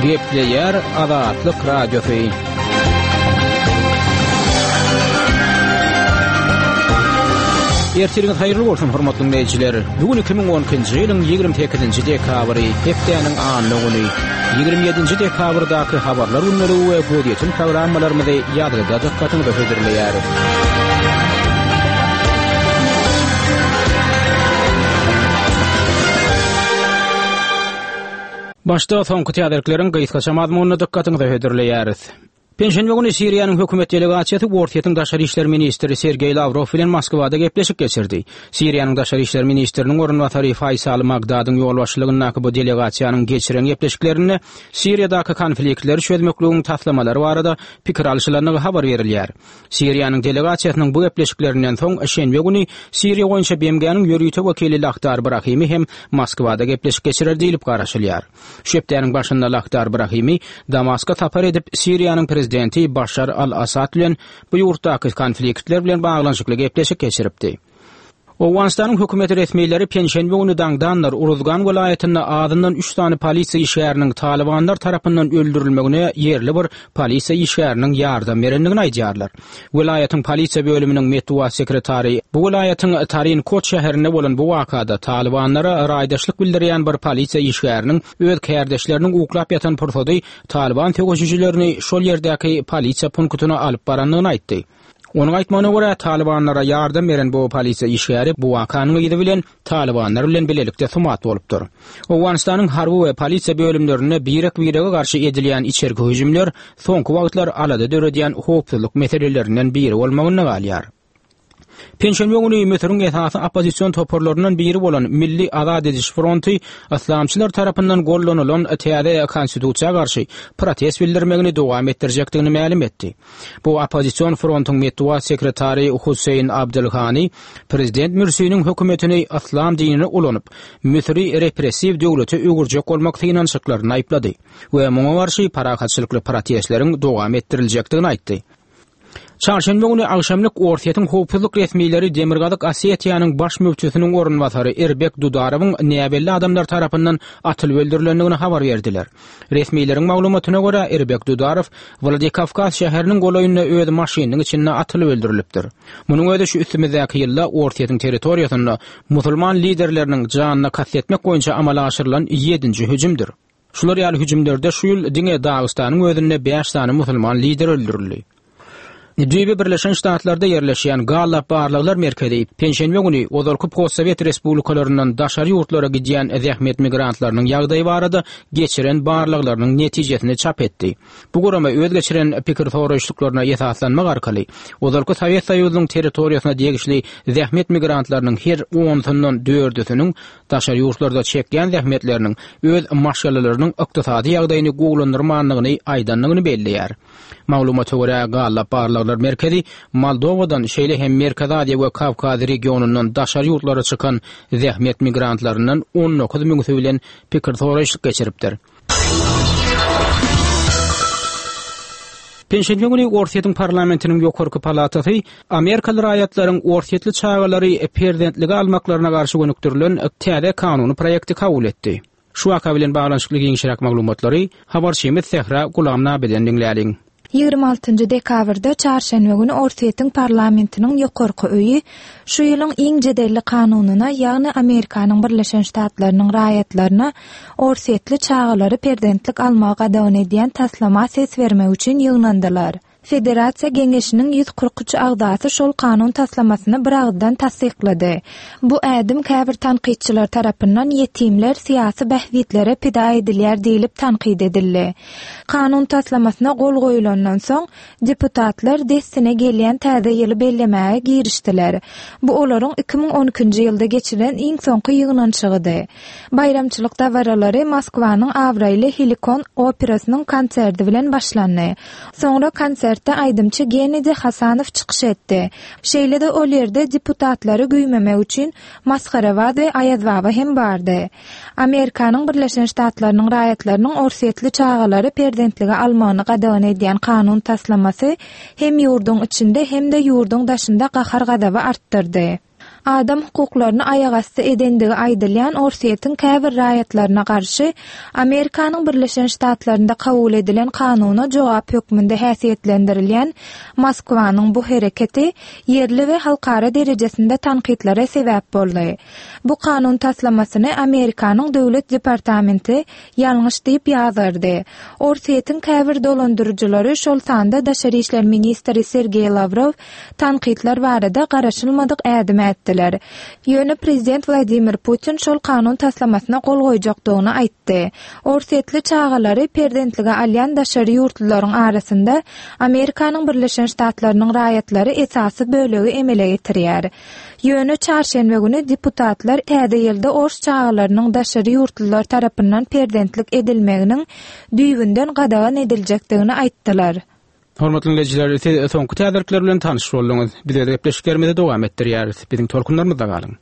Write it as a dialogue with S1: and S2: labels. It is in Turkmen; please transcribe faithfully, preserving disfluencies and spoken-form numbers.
S1: Gepleýär Azatlyk Radiosy. Ertiriňiz haýyrly bolsun, hormatly dinleýjiler. Bu gün iki müň on ikinji ýylyň ýigrimi sekizinji dekabry, hepdäniň anna güni. Ýigrimi ýedinji dekabrdaky habarlar gündeligi we gözýetim programmalarymyzy ýazgyda dykgatyňyza hödürleýäris. Başda soňky täzelikleriň gysgaça mazmunyny dykgatyňyza hödürleýäris. Penşenbe güni Siriýanyň hökümet delegasiýasy Orsýetiň daşary işler ministri Sergeý Lawrow bilen Moskwada gepleşik geçirdi. Siriýanyň daşary işler ministriniň orunbasary Faýsal Magdadyň ýolbaşçylygyndaky bu delegasiýanyň geçiren gepleşiklerinde Siriýadaky konfliktleri çözmekligiň taslamalary barada pikir alşylandygy habar berilýär. Siriýanyň delegasiýasynyň bu gepleşiklerinden soň şenbe güni Siriýa boýunça B M G-niň ýörite wekili Lakhdar Brahimi hem Moskwada gepleşik geçirer diýlip garaşylýar. Şu hepdäniň başynda Lakhdar Brahimi Damaska sapar edip, Siriýanyň prezidenti Başar al-Assad bilen bu ýurtdaky konfliktler bilen baglanyşykly gepleşik geçiripdi. Owganystanyň hökümeti resmileri penşenbe güni daňdanlar Uruzgan welaýatynda azyndan üç sany polisiýa işgäriniň Talibanlar tarapyndan öldürilmegine ýerli bir polisiýa işgäriniň ýardam berendigini aýdýarlar. Welaýatyň polisiýa bölüminiň metbugat sekretary bu welaýatyň Tarin Kot şäherinde bolan bu wakada Talibanlara raýdaşlyk bildirýän bir polisiýa işgäriniň öz kärdeşleriniň uklap ýatan pursady Taliban söweşijilerini şol ýerdäki polisiýa punktyna alyp barandygyny aýtdy. Onuň aýtmagyna görä, Talibanlara ýardam beren bu polisiýa işgäri bu wakanyň yzy bilen Talibanlar bilen bilelikde sumat bolupdyr. Owganystanyň harby we polisiýa bölümlerinde birek-birege garşy edilýän içerki hüjümler soňky wagtlar alada döredýän howpsuzlyk meselelerinden biri bolmagynda galýar. Penşenbe güni Müsüriň esasy oppozision toparlaryndan biri bolan Milli Azat ediş fronty yslamçylar tarapyndan gollanylan täze konstitusiýa garşy protest bildirmegini dowam etdirjekdigini mälim etdi. Bu oppozision frontyň metbugat sekretary Hussein Abdülhani prezident Mürsiniň hökümetini yslam dinini ulanyp, Müsüri repressiw döwlete öwürjek bolmak synanyşyklaryny aýyplady we muňa garşy parahatçylykly protestleriň dowam etdiriljekdigini aýtdy. Çarşenbe güni agşamlyk Orsýetiň howpsuzlyk resmileri Demirgazyk Osetiýanyň baş müftüsiniň orunbasary Erbek Dudarowyň näbelli adamlar tarapyndan atylyp öldürilendigini habar berdiler. Resmileriň maglumatyna görä, Erbek Dudarow Wladikawkaz şäheriniň golaýynda öz maşynynyň içinde atylyp öldürilipdir. Munuň özi şu üstümizdäki ýylda Orsýetiň territoriýasynda musulman liderleriniň janyna kast etmek boýunça amala aşyrylan ýedinji hüjümdir. Şular ýaly hüjümlerde şu ýyl diňe Dagystanyň özünde bäş sany musulman lider öldürildi. Düýbi Birleşen Ştatlarda ýerleşýän Gallup Barlaglar Merkezi penşenbe güni ozalky postsovet respublikalaryndan daşary ýurtlara gidýän zähmet migrantlarynyň ýagdaýy barada geçiren barlaglarynyň netijesini çap etdi. Bu gurama öz geçiren pikir soraýyşlyklaryna esaslanmak arkaly ozalky Sowet Soýuzynyň territoriýasyna degişli zähmet migrantlarynyň her onsundan dördüsiniň daşary ýurtlarda çekýän zähmetleriniň öz maşgalalarynyň ykdysady ýagdaýyny gowulandyrmandygyny aýdandygyny belleýär. Maglumata görä, Gallup Barlaglar Merkezi Moldowadan, şeýle hem Merkezi Aziýa we Kawkaz regionyndan daşary ýurtlara çykan zähmet migrantlaryndan on dokuz müňüsi bilen pikir soraýyşlyk geçiripdir. Penşenbe güni Orsýetiň parlamentiniň ýokarky palatasy Amerikaly raýatlaryň orsýetli çagalary perzentlige almaklaryna garşy gönükdirilen täze kanuny proýekti kabul etdi. Şu waka bilen baglanyşykly giňişräk maglumatlary habarçymyz Sähra Gulamnabiden diňläliň.
S2: Ýigrimi altynjy dekabrda çarşenbe güni Orsýetiň parlamentiniň ýokarky öýi şu ýylyň iň jedelli kanunyna, ýagny Amerikanyň Birleşen Ştatlarynyň raýatlaryna orsýetli çagalary perzentlik almagy gadagan edýän taslama ses bermek üçin ýygnandylar. Federasiýa Geňeşiniň ýüz kyrk üç agzasy şol kanun taslamasyny bir agzdan tassyklady. Bu ädim käbir tankytçylar tarapyndan ýetimler syýasy bähbitlere pida edilýär diýlip tankyt edildi. Kanun taslamasyna gol goýulandan soň deputatlar dessine gelýän täze ýyly bellemäge girişdiler. Bu olaryň iki müň on ikinji ýylda geçirilen iň soňky ýygnanyşygydy. Baýramçylyk dabaralary Moskwanyň abraýly Helikon operasynyň konserti bilen başlandy. Soňra konsertde aýdymçy Gennadiy Hasanow çykyş etdi. Şeýle-de ol ýerde deputatlary güýmemek üçin Masgarabad we Aýazbaba hem bardy. Amerikanyň Birleşen Ştatlarynyň raýatlarynyň orsýetli çagalary perzentlige almagyny gadagan edýän kanun taslamasy hem ýurduň içinde hem-de ýurduň daşynda gahar-gazaby artdyrdy. Adam hukuklaryny aýagasty edendigi aýdylýan Orsýetiň käbir raýatlaryna garşy Amerikanyň Birleşen Ştatlarynda kabul edilen kanuna jogap hökmünde häsiýetlendirilýän Moskwanyň bu hereketi ýerli we halkara derejesinde tankytlara sebäp boldy. Bu kanun taslamasyny Amerikanyň Döwlet departamenti ýalňyş diýip ýazgardy. Orsýetiň käbir dolandyryjylary, şol sanda daşary işler ministri Sergeý Lawrow tankytlar barada garaşylmadyk ädim ätdiler. Ýöne prezident Wladimir Putin şol kanun taslamasyna gol goýjakdygyny aýtdy. Orsýetli çagalary perzentlige alýan daşary ýurtlularyň arasynda Amerikanyň Birleşen Ştatlarynyň raýatlary esasy bölegi emele getirýär. Ýöne çarşenbe güni deputatlar täze ýylda ors çagalarynyň daşary ýurtlular tarapyndan perzentlik edilmeginiň düýbünden gadagan ediljekdigini aýtdylar.
S1: Hormatly dinleýjiler, siz soňky täzelikler bilen tanyş bolduňyz. Biz öz gepleşiklerimizi dowam etdirýäris. Biziň tolkunlarymyzda galyň.